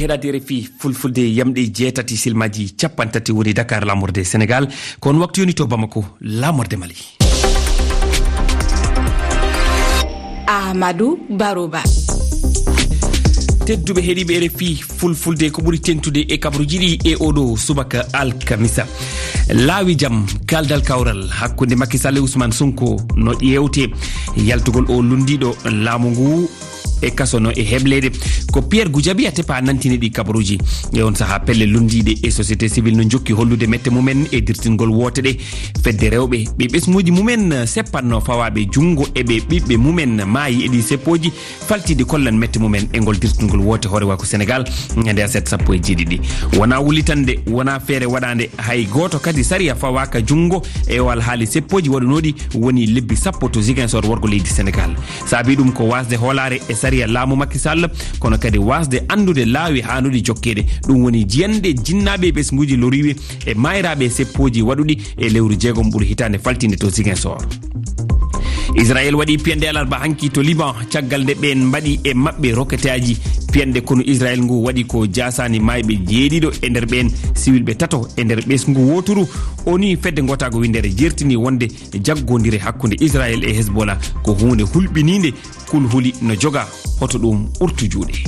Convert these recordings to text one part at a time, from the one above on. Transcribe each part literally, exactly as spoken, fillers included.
Heɗaade R F I Fulfulde, yamɗe jeetati silmaaji capanɗe tati woni Dakar, laamorde Senegaal. Ko on waktu yoni to Bamako, laamorde Mali. Ahmadou Baroba. Tedduɓe heɗiiɓe R F I Fulfulde, ko ɓuri teŋtude e kabaruuji ɗi e oɗo subaka alkamisa. Laawi jam, kaldal kawral hakkunde Macky Sall e Ousmane Sonko no ƴeewte. Yaltugol o lunndiiɗo laamu ngu e kaso no e hebleede. Ko Pierre Goudiaby Atepa nantini ɗi kabaruuji. E on sahaa, pelle lunndiiɗe e société civile no njokki hollude mette mumen e dirtingol woote ɗe. Fedde rewɓe ɓe ɓesnguuji mumen seppanno fawaaɓe junngo e ɓe ɓiɓɓe mumen maayi e ɗi seppooji faltiiɗi kollan mette mumen e ngol dirtingol woote hoorewaaku Senegaal ñande aset sappo e jeeɗiɗi. Wonaa wullitande, wonaa feere waɗaande, hay gooto kadi sariya fawaaka junngo e o alhaali seppooji waɗunooɗi woni lebbi sappo to Ziguinchor, worgo leydi Senegaal. Saabii ɗum ko waasde hoolaare e sariya laamu Macky Sall, kono kadi waasde anndude laawi haanuɗi jokkeede. Ɗum woni jiyanɗe jinnaaɓe e ɓesnguuji loriiɓe e maayraaɓe e seppooji waɗuɗi e lewru jeegom ɓuru hitaande faltiinde to Ziguinchor. Israel waɗi piyanɗe alarba hanki to Liban, caggal nde ɓeen mbaɗi e maɓɓe roketaaji. Piyanɗe konu Israel ngu waɗi ko jaasaani maayɓe jeeɗiɗo, e nder ɓeen siwilɓe tato e nder ɓesngu wooturu. O ni fedde ngootaago winndere jertini wonde jaggoondire hakkunde Israel e Hezbollah ko huunde hulɓiniinde. Kulhuli no joga, hoto ɗum ɓurtu juuɗe.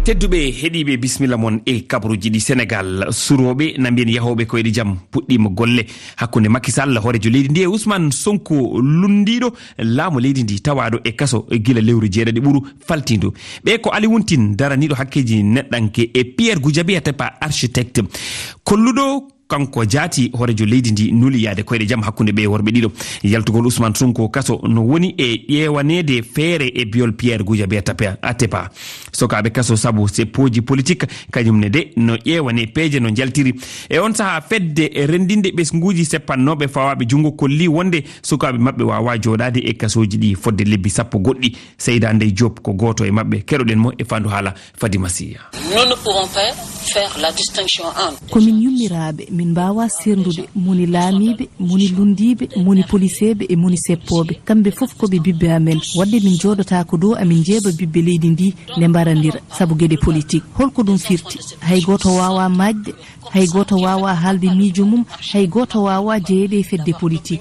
Tedduɓe heɗiiɓe, bisimilla mon e kabaruuji ɗi. Senegaal, surooɓe na mbiyen yahooɓe koyɗe jam puɗɗiima golle hakkunde Macky Sall, hooreejo leydi ndi, e Ousmane Sonko, lunndiiɗo laamu leydi ndi, tawaaɗo e kaso gila lewru jeeɗaɗi ɓuru faltiindu. Ɓe ko Ali Wuntin, daraniiɗo hakkeeji neɗɗanke, e Pierre Goudiaby Atepa, architecte. Kolluɗo kanko jaati hooreejo leydi ndi nuli yaade koyɗe jam hakkunde ɓe worɓe ɗiɗo. Yaltugol Ousmane Sonko kaso no woni e ƴeewaneede feere e biyol Pierre Goudiaby Atepa, Atepa. Sokaaɓe kaso sabu seppooji politik, kañum ne de no ƴeewane peeje no njaltiri. E on sahaa, fedde renndinde ɓesnguuji seppannooɓe fawaaɓe junngo kolli wonde sukaaɓe maɓɓe waawaa jooɗaade e kasooji ɗi fodde lebbi sappo goɗɗi. Seyda Ndey Diop ko gooto e maɓɓe. Keɗoɗen mo e faandu haala Fadima Siya. Nous ne pouvons pas faire la distinction entre Ko min yummiraaɓe, min mbaawaa seerndude moni laamiiɓe, moni lunndiiɓe, moni poliseeɓe e moni seppooɓe. Kamɓe fof ko ɓe ɓiɓɓe amen. Waɗde min njooɗotaako ɗo amin njeeɓa ɓiɓɓe leydi ndi nde mbarandira sabu geɗe politik. Holko ɗum firti? Hay gooto waawaa maajde, hay gooto waawaa haalde miijo mum, hay gooto waawaa jeyeede e fedde politik.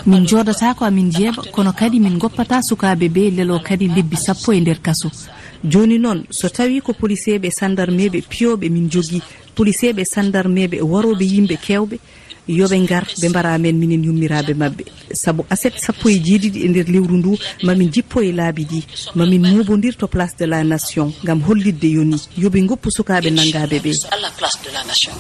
Min njooɗataa ko amin njeeɓa, kono kadi min ngoppataa sukaaɓe ɓe lelo kadi lebbi sappo e nder kaso. Jooni noon, so tawii ko poliseeɓe e sanndarmeeɓe piyooɓe min njogii, poliseeɓe e sanndarmeeɓe e warooɓe yimɓe keewɓe, yo ɓe ngar, ɓe mbara amen minen yummiraaɓe maɓɓe. Sabu aset sappo e jeeɗiɗi e nder lewru ndu, ma min njippo e laabi ɗi, ma min muubondir to Place de la Nation ngam hollitde yoni yo ɓe ngoppu sukaaɓe nanngaaɓe ɓe. À la place de la Nation.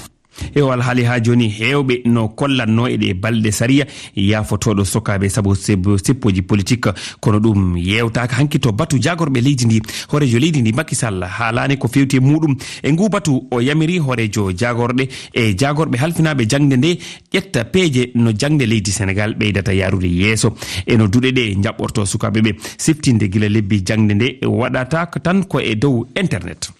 E o alhaali haa jooni, heewɓe no kollatnoo e ɗee balɗe sariya yaafotooɗo sokaaɓe sabu seb-, seppooji politik, kono ɗum yeewtaaka hanki to batu jaagorɓe leydi ndi. Hooreejo leydi ndi, Macky Sall, haalaani ko feewti e muuɗum. E nguu batu, o yamiri hooreejo jaagorɗe e jaagorɓe halfinaaɓe jaŋde nde ƴetta peeje no jaŋde leydi Senegaal ɓeydata yaarude yeeso. E no duɗe ɗe njaɓɓortoo sukaaɓe ɓe, siftinde gila lebbi jaŋde nde waɗata tan ko e dow internet.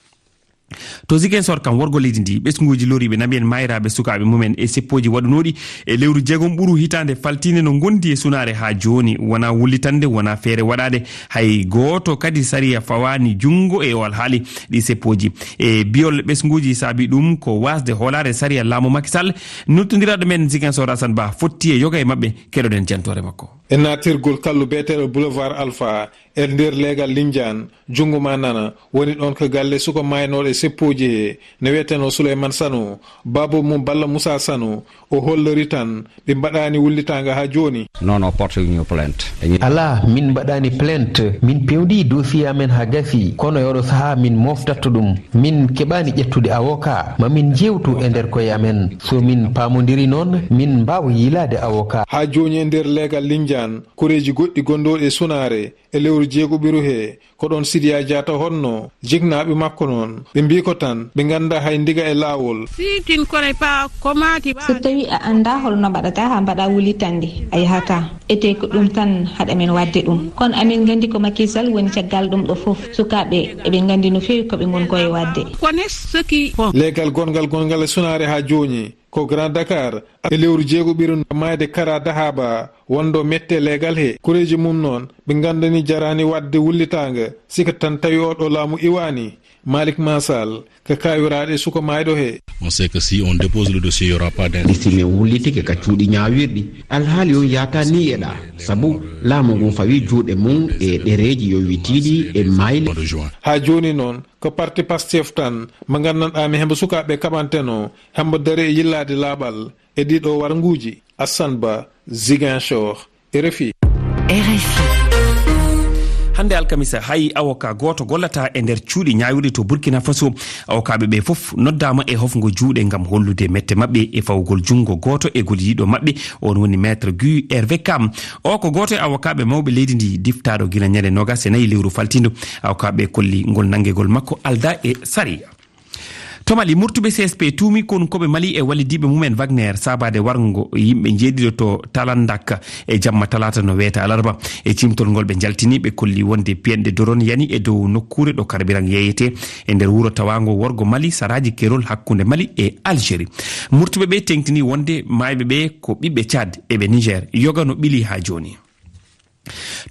To Ziguinchor kam, worgo leydi ndi, ɓesnguuji loriiɓe na mbiyen maayraaɓe sukaaɓe mumen e seppooji waɗunooɗi e lewru jeegom ɓuru hitaande faltiinde no ngondi e sunaare haa jooni. Wonaa wullitande, wonaa feere waɗaade. Hay gooto kadi sariya fawaani junngo e o alhaali ɗi seppooji. E biyol ɓesnguuji saabi ɗum ko waasde hoolaare sariya laamu Macky Sall. Noddiraaɗo men Ziguinchor, Assane Ba, fotti e yoga e maɓɓe. Keɗoɗen jantoore makko. E naatirgol kallu beeteeɗo Boulevard Alpha, e nder leegal Lindiane, junngo ma nana, woni ɗoon ko galle suka maaynooɗo e seppooji he, ne wiyetenoo Souleymane Sano, baaba mum Balla Moussa Sano, o hollori tan ɓe mbaɗaani wullitaanga haa jooni. Non, non, porte ñu plainte. Alaa, min mbaɗaani plainte, min pewndii dossier amen haa gasi, kono e oɗo sahaa min moftatto ɗum. Min keɓaani ƴettude avocat, ma min njeewtu e nder koye amen. So min paamondiri noon, min mbaawa yiilaade avocat. Haa jooni e nder leegal Lindiane, koreeji goɗɗi gondooɗi e sunaare, e lewru jeegoɓiru he, ko ɗoon Sidiya Diatta honno, jiknaaɓe makko noon, ɓe mbii ko tan, ɓe nganndaa hay ndiga e laawol. Si tu ne connais pas comment tu vas. So tawii a anndaa hol no mbaɗataa haa mbaɗaa wullitannde, a yahataa. Etee ko ɗum tan haɗa men waɗde ɗum. Kono amin nganndi ko Macky Sall woni caggal ɗum ɗo fof. Sukaaɓe eɓe nganndi no feewi ko ɓe ngon ko e waɗde. Connais ce qui font. Leegal gonngal gonngal e sunaare haa jooni, ko Grand Dakar, E lewru jeegoɓiru maayde Kara Dahaba, wonɗo mette leegal he. Koreeji mum noon, ɓe nganndani jaraani waɗde wullitaange, sika tan tawi oo ɗo laamu iwaani. Malik Masal, ka kaawiraaɗe suka maayɗo he. On sait que si on dépose le dossier, il y aura pas d'in- Ɗi si min wullitike ka cuuɗi ñaawirɗi, alhaali on yaata ni e ɗa. Sabu laamu ngun fawi juuɗe mum e ɗereeji yowitiiɗi e mayle. Haa jooni noon, ko parti Pastef tan, mo nganndanɗaa mi hembo sukaaɓe kaɓanteno, hembo dare e yillaade laaɓal e ɗiɗo warnguuji. Assane Ba, Ziguinchor, R F I. R F I. Hannde alkamisa, hay avocat gooto gollata e nder cuuɗi ñaawirɗi to Burkina Faso. Avocatɓe ɓe fof noddaama e hofgo juuɗe ngam hollude mette maɓɓe e fawgol junngo gooto e gollidiiɗo maɓɓe, on woni Maître Guy Hervé Kam. O ko gooto e avocatɓe mawɓe leydi ndi, diftaaɗo gila ñande noogas e nayi lewru faltindo. Avocatɓe kolli ngol nanngegol makko aldaa e sariya. To Mali, murtuɓe C S P tuumi konunkooɓe Mali e wallidiiɓe mumen Wagner saabaade warngo yimɓe njeeɗiɗo to Talandak e jamma talaata no weeta alarba. E cimtol ngol ɓe njaltini, ɓe kolli wonde piyanɗe doron yani e dow nokkuure ɗo karbiran yeeyete e nder wuro tawaango worgo Mali, saraaji kerol hakkunde Mali e Algérie. Murtuɓe ɓe teŋtini wonde maayɓe ɓe ko ɓiɓɓe Tchad e ɓe Niger, yoga no ɓili haa jooni.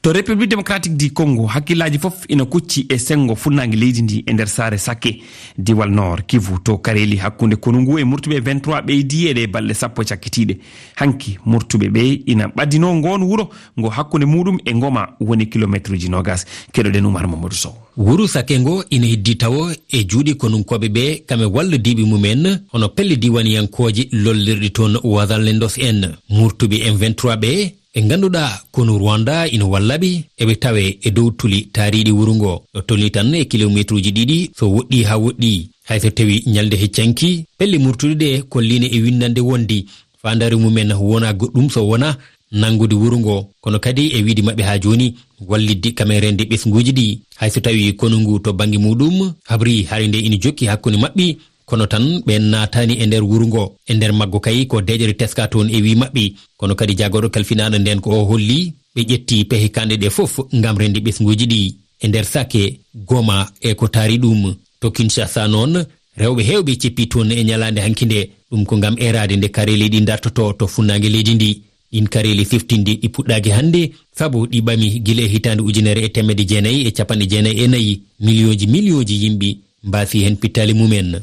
To République Démocratique du Congo, hakkillaaji fof ina kucci e senngo funnaange leydi ndi e nder saare Sake, diwal Nord Kivu, to kareeli hakkunde konu ngu e murtuɓe vingt-trois ɓeydi e ɗe balɗe sappo cakkitiiɗe. Hanki, murtuɓe ɓe ina ɓadinoo ngoon wuro ngo hakkunde muɗum e Ngoma woni kilomeetruuji noogas. Keɗoɗen Umar Mamadou Sow. Wuro Sake ngo ina heddi tawo e juuɗe konunkooɓe ɓe, kame wallodiiɓe mumen, hono pelle diiwaaniyankooje lollirɗe toon Wazalendo en. Murtuɓe M vingt-trois ɓe, ɓe ngannduɗaa konu Rwanda ina walla ɓe, eɓe tawe e dow tuli taariiɗi wuro ngo. Ɗo tolni tan e kilomeetruuji ɗiɗi, so woɗɗi haa woɗɗi. Hay so tawi ñalnde heccanki, pelle murtuɗe ɗe kolliine e winndannde wondi faandaare mumen wona goɗɗum so wona nanngude wuro ngo, kono kadi e wiide maɓɓe haa jooni wallitde kamereende ɓesnguuji ɗi. Hay so tawi konu ngu to bannge muɗum habri hare nde ina jokki hakkunde maɓɓe, kono tan ɓeen naataani e nder wuro ngo. E nder maggo kay ko deeƴere teska toon e wii maɓɓe, kono kadi jaagorɗo kalfinaaɗo ndeen ko o holli ɓe ƴetti pehe kanɗe ɗe fof ngam rende ɓesnguuji ɗi e nder Sake, Goma e ko taari ɗum. To Kinshasa noon, rewɓe heewɓe ceppi toon e ñalaande hanki nde, ɗum ko ngam eeraade nde kareeli ɗi ndartotoo to funnaange leydi ndi. Ɗiin kareeli siftinɗi ɗi puɗɗaaki hannde, sabu ɗi ɓami gila e hitaande ujunere e teemedde jeenayi e capanɗe jeenayi e nayi. Miliyonji, miliyonji yimɓe mbaasi heen pittaali mumen.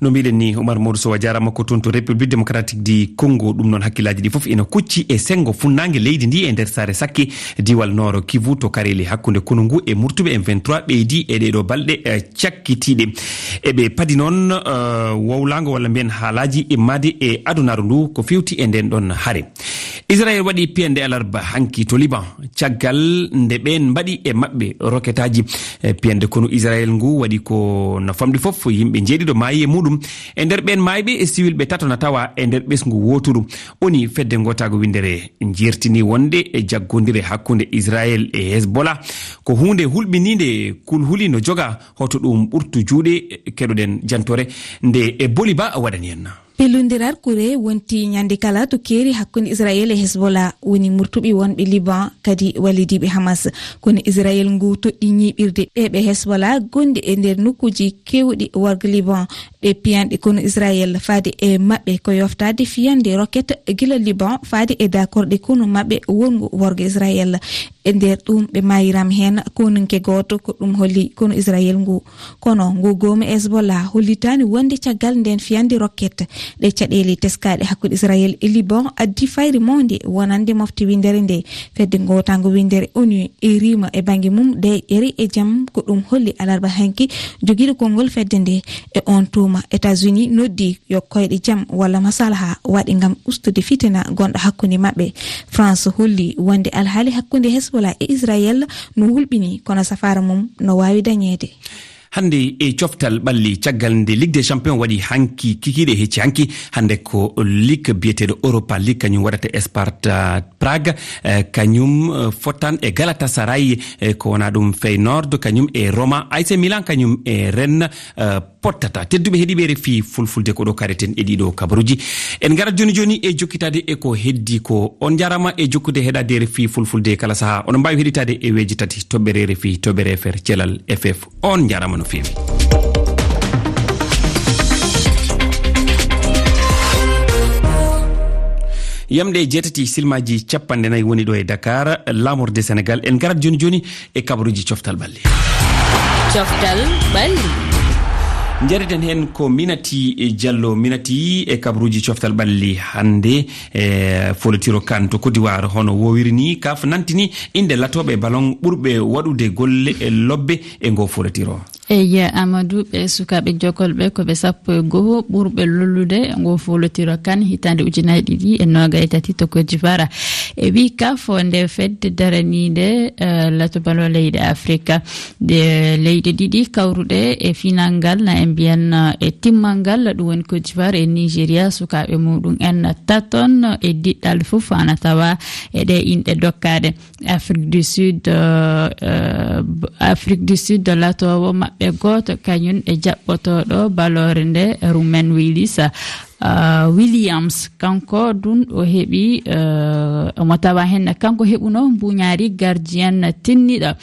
No mbiɗen ni, Umar Modou Sow, a jaaraama, ko toon to République Démocratique du Congo. Ɗum noon, hakkillaaji ɗi fof ina kucci e senngo funnaange leydi ndi e nder saare Sakke, diwal Nord Kivu, to kareeli hakkunde konu ngu e murtuɓe M vingt-trois ɓeydi e ɗeeɗo balɗe, eh, cakkitiiɗe. Eɓe padi noon, eh, wowlaango walla mbiyen haalaaji immaade e adunaaru ndu ko feewti e ndeen ɗoon hare. Israel waɗi piyanɗe alarba hanki to Liban, caggal nde ɓeen mbaɗi e maɓɓe roketaaji. E piyanɗe konu Israel ngu waɗi ko no famɗi fof, yimɓe njeeɗiɗo maayi e muɗum. E nder ɓeen maayɓe, e siwilɓe tato na tawa e nder ɓesngu wooturu. Woni fedde ngootaago winndere jertini wonde e jaggondire hakkunde Israel e Hezbollah ko huunde hulɓiniinde, kulhuli no joga. Hoto ɗum ɓurtu juuɗe, keɗoɗen jantoore nde e Boli Ba waɗani en. Pellondiral kure wonti ñande kala to keeri hakkunde Israel e Hezbollah, woni murtuɓe wonɓe Liban, kadi wallidiiɓe Hamas. Kono Israel ngu toɗɗi ñiiɓirde ɓe ɓe Hezbollah gonɗi e nder nokkuuji keewɗi worgo Liban. Ɗe piyanɗe konu Israel faade e maɓɓe ko yoftaade fiyande roket gila Liban faade e dakorɗe konu maɓɓe wonngu worgo Israel. E nder ɗum ɓe maayiram heen konunke gooto, ko ɗum holli konu Israel ngu. Kono ngu goomu Hezbollah hollitaani wonde caggal ndeen fiyande roket, ɗe caɗeele teskaaɗe hakkunde Israel e Liban addi fayre mawnde wonande mofte winndere nde. Fedde ngootaango winndere onu e riima e bannge mum deeƴere e jam, ko ɗum holli alarba hanki jogiiɗo konngol fedde nde. E on tuma, États-Unis noddi yo koyɗe jam walla masalaha waɗe ngam ustude fitina gonɗo hakkunde maɓɓe. France holli wonde alhaali hakkunde Hezbollah e Israel no hulɓini, kono safaara mum no waawi dañeede. Hannde e coftal ɓalli, caggal nde Ligue des Champions waɗi hanki kikiiɗe hecci hanki, hannde ko ligue biyeteeɗo Europa League, kañum waɗata Sparta Prague, eh, kañum, eh, fottan e Galatasaray, eh, ko wona ɗum Feyenoord, kañum e Roma, A C Milan, kañum e Rennes, eh, pottata. Tedduɓe heɗiiɓe R F I Fulfulde, ko ɗo kareten e ɗiɗo kabaruuji. En ngarat jooni jooni e jokkitaade e ko heddi ko. On njaaraama e jokkude heɗaade R F I Fulfulde kala sahaa. Oɗon mbaawi heɗitaade e weeji tati, toɓɓere R F I, toɓɓere F R, cellal F F. On njaaraama no feewi. Yamɗe jeetati, silmaaji cappanɗe nayi woni ɗo e Dakar, laamorde Senegal. En ngarat jooni jooni e kabaruuji coftal ɓalli. Coftal ɓalli. Njareten heen ko Minati Diallo. Minati, e kabaruuji coftal ɓalli hannde, e foolotiro kan to Côte d'Ivoire, hono woowiri ni, kaf nantini innde latooɓe ballon ɓurɓe waɗude golle e lobbe e ngoo foolotiro. Eyi, Amadou, ɓe sukaaɓe jokolɓe ko ɓe sappo e goho ɓurɓe lollude e ngoo foolotiro kan hitaande ujunaaji ɗiɗi e noogay e tati to Côte d'Ivoire. E wii kaf, nde fedde daraniinde, eh, lato ballon leyɗe Afrika. Nde leyɗe ɗiɗi kawruɗe e final ngal, na en mbiyan, eh, e timmal ngal, ɗum woni Côte d'Ivoire e Nigeria, sukaaɓe muɗum en taton e diɗɗal fof ana tawa e ɗe inɗe dokkaaɗe. Afrique du Sud, euh, euh, Afrique du Sud, latoowo maɓɓe gooto, kañum e jaɓɓotooɗo ballon nde, Romain Willis, euh, Williams. Kanko ɗum o heɓi, euh, omo tawa heen, kanko heɓuno mbuñaari gardien tinniɗo,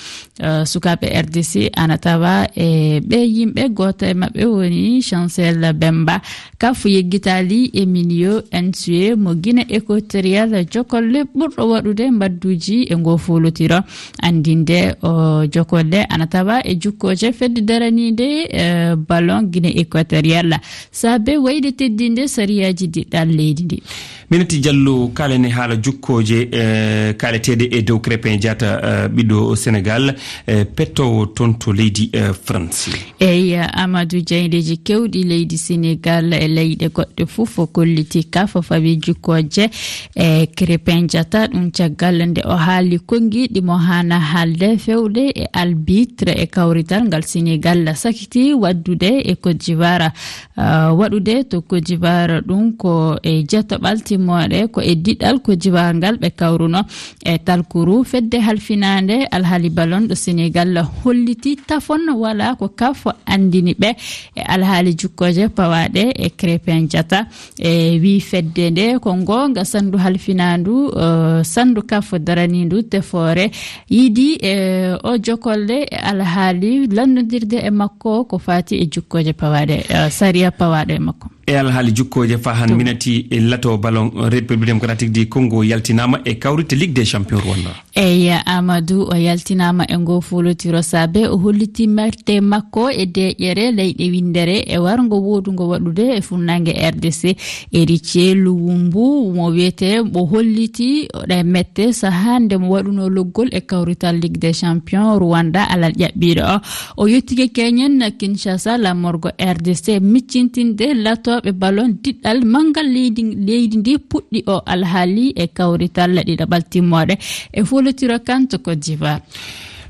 euh, sukaaɓe R D C, ana tawa e ɓe yimɓe, gooto e maɓɓe woni Chancel Bemba. Kaf yeggitaali Emilio Nsue mo Guinée Équatoriale, jokolle ɓurɗo waɗude mbadduuji e ngoo foolotiro. Anndinde o jokolle ana tawa e jukkooje fedde daraniinde, eh, ballon Guinée Équatoriale, saabe wayde teddinde sariyaaji diɗɗal leydi ndi. Minati Diallo, kaalen e haala jukkooje, eh, kaaleteeɗe e dow Krépin Diatta, eh, ɓiɗɗo Senegal, eh, pettoowo toon to leydi, eh, France. Eyi, Amadou, jaayndeeji keewɗi leydi Senegal e leyɗe goɗɗe fof o kolliti kaf o fawi jukkooje e Krépin Diatta. Ɗum caggal nde o haali konngiɗi mo haana haalde fewde e arbitre e kawrital ngal Senegal sakiti waɗdude e Côte d'Ivoire. Ah, waɗude to Côte d'Ivoire, ɗum ko e jatoɓal timmooɗe, ko e diɗɗal Côte d'Ivoire ngal ɓe kawruno. E talkuru fedde halfinaande alhaali ballon ɗo Senegal holliti tafon wala ko kaf anndini ɓe e alhaali jukkooje pawaaɗe e Krépin Diatta. E wii fedde nde ko ngoonga sanndu halfinaandu, eh, sanndu kaf daraniindu tefoore yiɗi, eh, o jokolle e alhaali lanndodirde e makko ko faati e jukkooje pawaaɗe, eh, sariya pawaaɗo e makko. E alhaali jukkooje faa han Minati e lato ballon République Démocratique du Congo yaltinaama e kawrite Ligue des Champions Rwanda. Eyi, Amadou, o yaltinaama e ngoo foolotiro saabe o holliti merte makko e deeƴere leyɗe winndere e warngo woodungo waɗude e funnaange R D C. Héritier Luwumbu mo wiyetee, o holliti ɗe mette sahaa nde mo waɗunoo loggol e kawrital Ligue des Champions Rwanda alal ƴaɓɓiiɗo o. O yettike keñen Kinshasa laamorgo R D C miccintinde latooɓe ballon diɗɗal manngal leydi, leydi ndi puɗɗi o alhaali e kawrital ɗiɗaɓal timmooɗe e foolotiro kan to Côte d'Ivoire.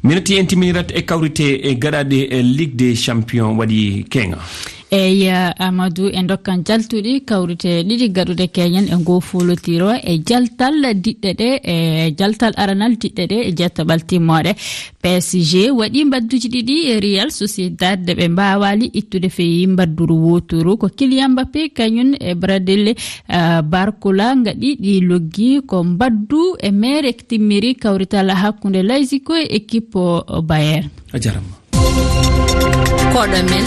Minati en timminirat e kawrite e gaɗaaɗe e Ligue des Champions waɗi keeŋa. Eyi, Amadou, e ndokkan jaltuɗi kawrite ɗiɗi gaɗuɗe keñen e ngoo foolotiro e jaltal diɗɗe ɗe, e jaltal aranal diɗɗe ɗe e jettaɓal timmooɗe. P S G waɗi mbadduji ɗiɗi e Real Sociedad, ɓe mbaawaali ittude feyi mbadduru wooturu. Ko Kylian Mbappé kañum e Bradley, eh, Barcola ngaɗi ɗi loggi. Ko mbaddu e meere timmiri kawrital hakkunde Layziko e équipe Bayern. A jarama. Koɗo men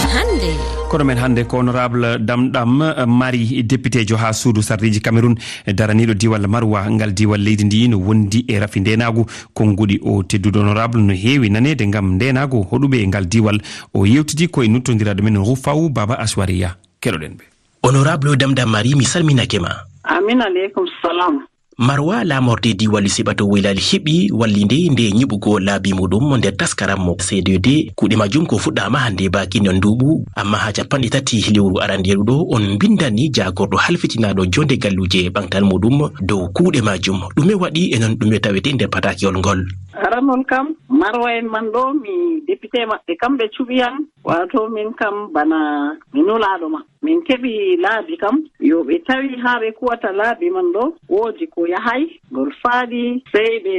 hannde. Koɗo men hannde ko honorable Dam Dam Mari, députéjo haa suudu sarɗiiji Cameroun, daraniiɗo diiwal Marwa. Ngal diiwal leydi ndi no wondi e rafi ndeenaagu. Konnguɗi o tedduɗo honorable no heewi naneede ngam ndeenaagu hoɗuɓe e ngal diiwal. O yewtidi ko e nuttondiraaɗo men Rufaw Baba Aswariya. Keɗoɗen ɓe. Honorable Dam Dam Mari, mi salminake ma. Amin aleykum salam. Marwa, laamorde diiwal Siɓato Woylal heɓi wallinde nde nyiɓugol laabi muɗum nder taskaram mo C D D. Kuuɗe majum ko fuɗɗaama hannde bakin on nduuɓu, amma haa cappanɗe tati lewru arandeeru ɗo on mbinndani jaagorɗo halfitinaaɗo jonde galluuje e ɓantal muɗum dow kuuɗe majum. Ɗume waɗi e non ɗume tawete nder patakewol ngol? Aranol kam, Marwa en man ɗo, mi député maɓɓe, kamɓe cuɓi yam, waato min kam bana mi nulaaɗo ma. Min keɓi laabi kam, yo ɓe tawi haa ɓe kuwata laabi man ɗo, woodi ko yahay, ngol faaɗi, sey ɓe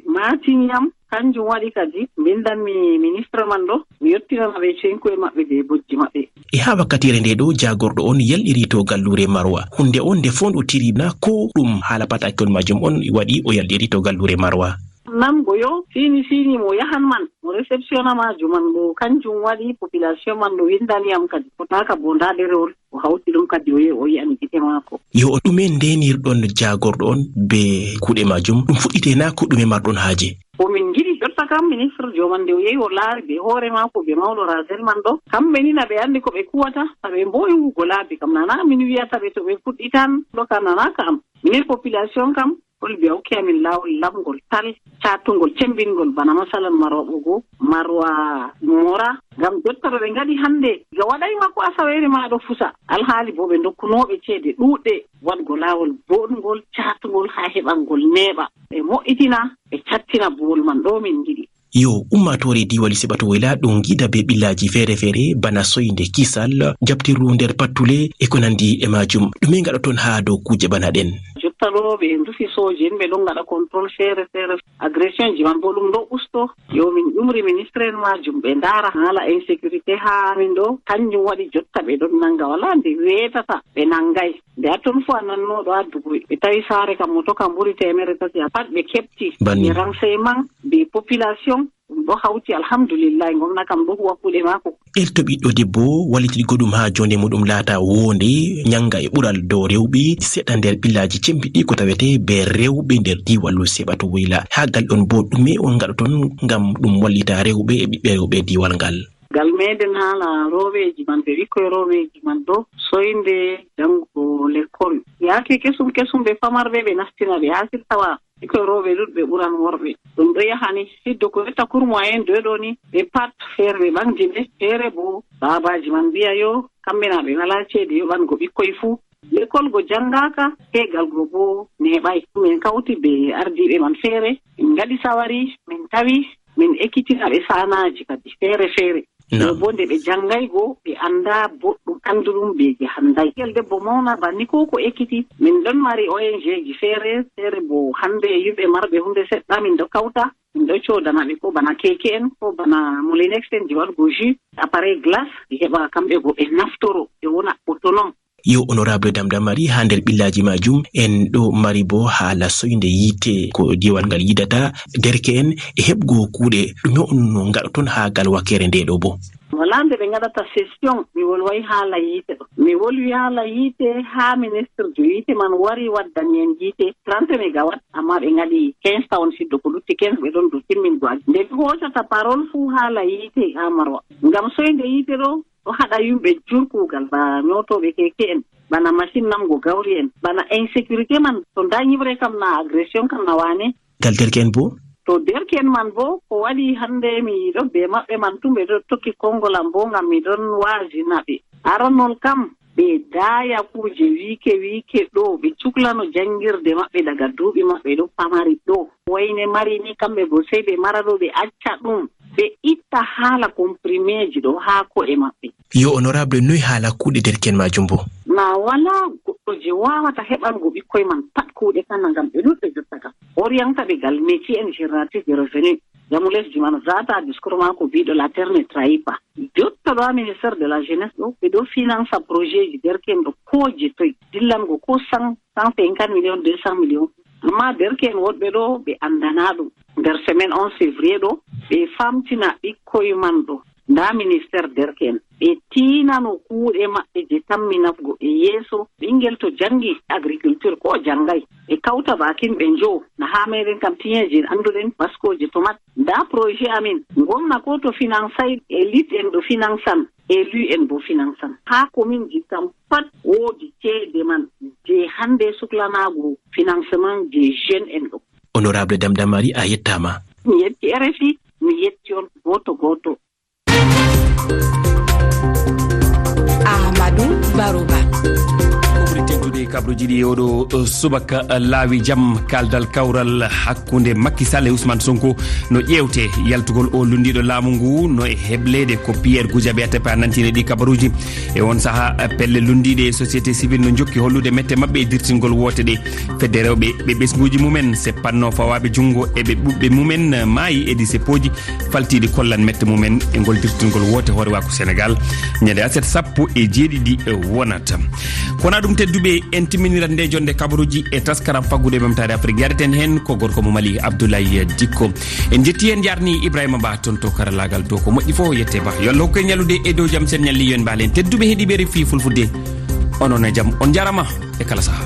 maatini yam. Kanjum waɗi kadi, mbindanmi ministre man ɗo, mi yottinana ɓe cenkuye maɓɓe be bojji maɓɓe. E haa wakkatiire nde ɗo, jaagorɗo on yalɗiri to galluure Marwa. Huunde on nde foondotiri na ko ɗum haala patakewol majum on waɗi o yalɗiri to galluure Marwa? Namgo yo siini siini mo yahan man, mo receptiona ma juman ɗo, kanjum waɗi population man ɗo windani yam kadi. Fotaaka bo nda ɗerewol, o hawti ɗum kadi o yehi o yi'ani gite maako. Yo o ɗume ndenirɗon jaagorɗo on be kuuɗe majum? Ɗum fuɗɗite na ko ɗume marɗon haaje? Ko min ngiɗi jotta kam, ministre joman nde o yehi o laari be hoore maako be mawɗo Razel man ɗo. Kamɓe ni na ɓe andi ko ɓe kuwata, na ɓe mboyi hugo laabi kam. Nana min wiyata ɓe to ɓe fuɗɗitan ɗo ka nana ka am. Minen population kam, Kolbi a hokki amin laawol laɓngol tal, caatungol, cembingol, bana masalan marwa ɓogo, marwa mora. Ngam jotta ɗo ɓe ngaɗi hannde, ga waɗay ma ko asaweere ma ɗo fusa. Alhaali bo ɓe ndokkunooɓe ceede ɗuuɗɗe waɗgo laawol booɗngol, caatungol haa heɓangol neeɓa. Ɓe mo'itina, ɓe cattina buwol man ɗo min ngiɗi. Yo ummaatoore diiwal Seɓato Woyla ɗo ngiida be ɓillaaji feere-feere bana soynde, kisal, jaɓtirru nder pattule e ko nandi e maajum. Ɗume ngaɗoton haa dow kuuje bana ɗen? Jotta ɗo ɓe ndufi sooje en, ɓe ɗon ngaɗa contrôle feere-feere. Agression ji man bo ɗum ɗo usto. Yo min ƴumri ministre en maajum ɓe ndaara haala insécurité haa min ɗo. Kanjum waɗi jotta ɓe ɗon nanga, walaa nde weetata ɓe nangay. Nde a ton fu a nanno ɗo addugo ɓe tawi saare kam moto kam ɓuri teemere tati a pat ɓe keɓti. Banni. Ɓe renseignement, ɓe population, ɗum ɗo hawti, alhamdulillahi, ngomna kam ɗo huwa kuuɗe maako. Elto ɓiɗɗo debbo wallitirigo ɗum haa jonde muɗum laata woonde, nyanga e ɓural dow rewɓe seɗɗa nder ɓillaaji cembiɗɗi ko tawete be rewɓe nder diiwal Seɓato Woyla. Haa gal ɗon bo ɗume on ngaɗoton ngam ɗum wallita rewɓe e ɓiɓɓe rewɓe diiwal ngal? Gal meɗen haala rooɓeeji man, ɓe ɓikkoy rooɓeeji man ɗo soynde janngo lekkol. Yaake kesum kesum ɓe famarɓe ɓe nastina ɓe haa sirtawa. Ɓikkoy rooɓe ɗuɗɓe ɓuran worɓe. Ɗum ɗo yahani hiddo ko etta kurmo en doy ɗo ni, ɓe pat feere ɓe ɓaŋdi ɓe, feere bo baabaaji man mbi'a yo kamɓe na ɓe walaa ceede yoɓango ɓikkoy fuu. Lekol go janngaaka, teegal go bo neeɓay. Min kawti be ardiiɓe man feere, min ngaɗi sawari, min tawi, min ekkitina ɓe saanaaji kadi feere-feere. Naam. Ɗo bo nde ɓe janngay go, ɓe annda boɗɗum, annduɗum be je handay. Ɓingel debbo mawna banni ko ko ekkiti. Min ɗon mari O N G ji feere, feere bo hande yimɓe marɓe hunde seɗɗa min ɗo kawta. Min ɗo coodana ɓe ko bana keke en, ko bana moulinex en je waɗugo jus, appareil glace, ɓe heɓa kamɓe go ɓe naftoro, ɓe wona autonome. Yo honorable Damdamari, haa nder ɓillaaji majum, en ɗo mari bo haala soynde yiite ko diiwal ngal yidata, derke'en e heɓgo kuuɗe. Ɗume on no ngaɗoton haa gal wakkere nde ɗo bo? Walaa nde ɓe ngaɗata session, mi wolway haala yiite ɗo. Mi wolwi haala yiite haa ministre jo yiite man wari waddani en yiite trente mégawatt, amma ɓe ngaɗi quinze tawon siddo ko lutti quinze ɓe ɗon dow timmingo aji. Nde mi hoosata parole fuu haala yiite haa Marwa. Ngam soynde yiite ɗo, ɗo haɗa yimɓe jur kuugal, ba nyootooɓe keke en, bana machine namgo gawri en, bana insécurité man, to nda nyiɓre kam na agression kam na wane. Gal derke'en bo? To derke'en man bo, ko waɗi hande mi ɗon be maɓɓe man tun, ɓe ɗon tokki konngol am bo ngam mi ɗon waazina ɓe. Aranol kam, ɓe daaya kuuje wiike wiike ɗo, ɓe cuklano janngirde maɓɓe daga duuɓi maɓɓe ɗo pamari ɗo. Wayne mari ni kamɓe go sey ɓe mara ɗo, ɓe acca ɗum. Ɓe itta haala komprimeeji ɗo haa ko'e maɓɓe. Yo honorable, noy haala kuuɗe derke'en majum bo? Na walaa goɗɗo je waawata heɓango ɓikkoy man pat kuuɗe kana ngam ɓe ɗuuɗɓe jotta kam. Orienta ɓe gal métier en génératrice de revenu. Jamu lesdi man zaata discours maako biiɗo la terre ne trahit pas. Jotta ɗo ha ministère de la jeunesse ɗo, ɓe ɗo finansa projet ji derke'en ɗo ko je toy. Dillango ko cent, cent cinquante millions, deux cents millions. Amma derke'en woɗɓe ɗo ɓe andana ɗum. Nder semaine onze février ɗo, ɓe famtina ɓikkoy man ɗo. Nda ministère derke'en. Ɓe tiinano kuuɗe maɓɓe je tammi nafgo ɓe yeeso. Ɓingel to jangi agriculture ko jangay. Ɓe kauta bakin ɓe njo. Na ha meɗen kam tiyeje anduɗen baskoje tomat. Nda projet amin. Gomna ko to finansay, élite en ɗo finansan, élu en bo finansan. Ha commune ji kam pat woodi ceede man je hande suklanago financement je jeune en ɗo. Honorable Damdamari, a yettama. Mi yetti R F I, mi yetti on goto goto. Ahmadou Barouba. Ko ɓuri teddude e kabruji ɗi e oɗo, uh, subaka, uh, laawi jam kaldal kawral hakkunde Macky Sall e Ousmane Sonko no ƴeewte. Yaltugol o lunndiiɗo laamu ngu no e hebleede ko Pierre Goudiaby Atepa nantini ɗi kabaruuji. E on saha, uh, pelle lunndiiɗe e société civile no jokki hollude mette maɓɓe e dirtingol woote ɗe. Fedde rewɓe ɓe ɓesnguuji mumen seppanno fawaaɓe junngo e ɓe ɓuɓɓe mumen maayi e ɗi seppooji faltiiɗi kollan mette mumen e ngol dirtingol woote hoorewaaku Senegaal. Ñande aset sappo e jeeɗiɗi wonata. Ko wona ɗum tedduɓe en Timminiran nde jonde kabaruji e taskaram faggude ɓamtaare Afrique. Yareten hen ko gorko mo Mali, Abdoulaye Dikko. En jetti, en jarni Ibrahima Ba toon to karallagal to ko moƴƴi fof, yette Ba. Yo Allah hokku en ñallude e dow jam, sen ñalli yo en mbaalen. Tedduɓe heɗiiɓe R F I Fulfulde, onon e jam, on jarama e kala saha.